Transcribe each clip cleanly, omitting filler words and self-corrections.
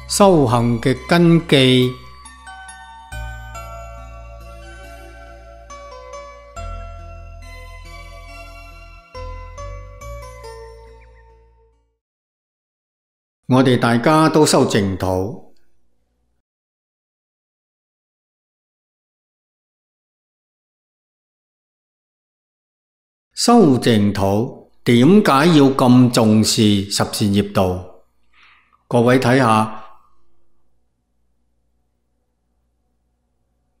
修行嘅根基。我哋大家都修淨土，修淨土點解要咁重視十善業道？各位睇下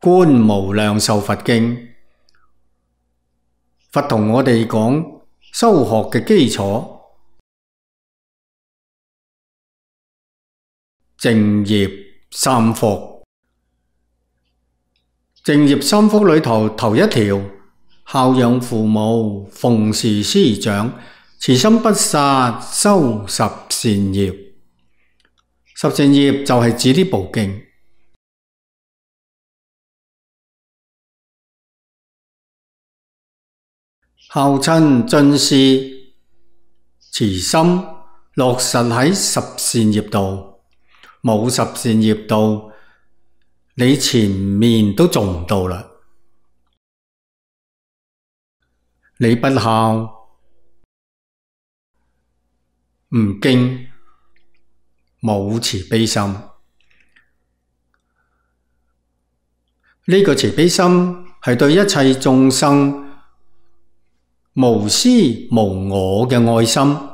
《觀無量壽佛經》，佛同我哋講修學嘅基礎。淨業三福，淨業三福裏頭一條，孝養父母，奉事師長，慈心不殺，修十善業。十善業就係指呢部經。孝親尊師，慈心落實喺十善業道。冇十善業道，你前面都做唔到啦。你不孝，唔敬，冇慈悲心。呢個慈悲心係對一切眾生無私無我嘅愛心。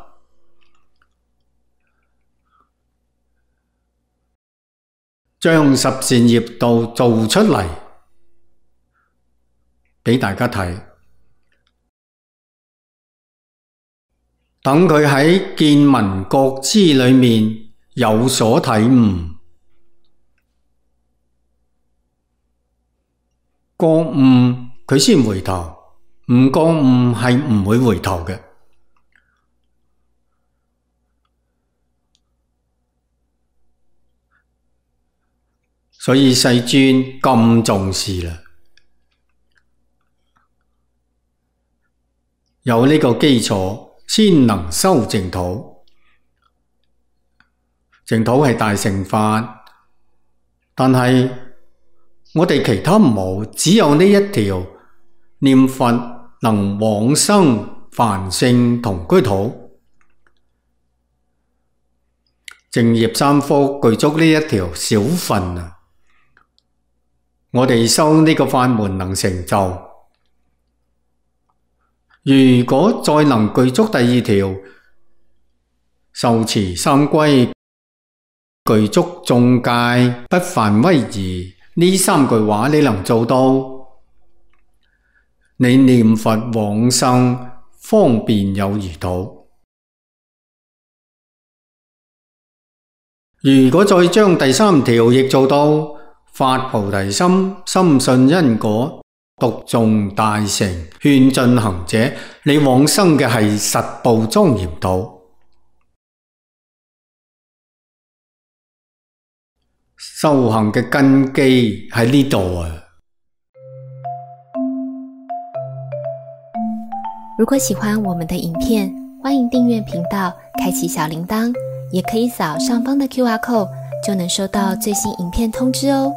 將十善業道做出嚟畀大家睇，等佢喺見聞覺知裏面有所體悟，覺悟佢先回頭，唔覺悟係唔會回頭嘅。所以世尊咁重視啦，有呢個基礎先能修淨土。淨土係大乘法，但係我哋其他冇，只有呢一條念佛能往生梵性同居土。淨業三福具足呢一條小份啊！我哋修呢個法門能成就，如果再能具足第二條，受持三歸，具足眾戒，不犯威儀，呢三句話你能做到，你念佛往生方便有餘土。如果再將第三條亦做到，發菩提心，深信因果，讀誦大乘，勸進行者，你往生嘅係實報莊嚴土。修行嘅根基喺呢度啊！如果喜歡我們的影片，歡迎訂閱頻道，開啟小鈴鐺，也可以掃上方的QR code，就能收到最新影片通知哦。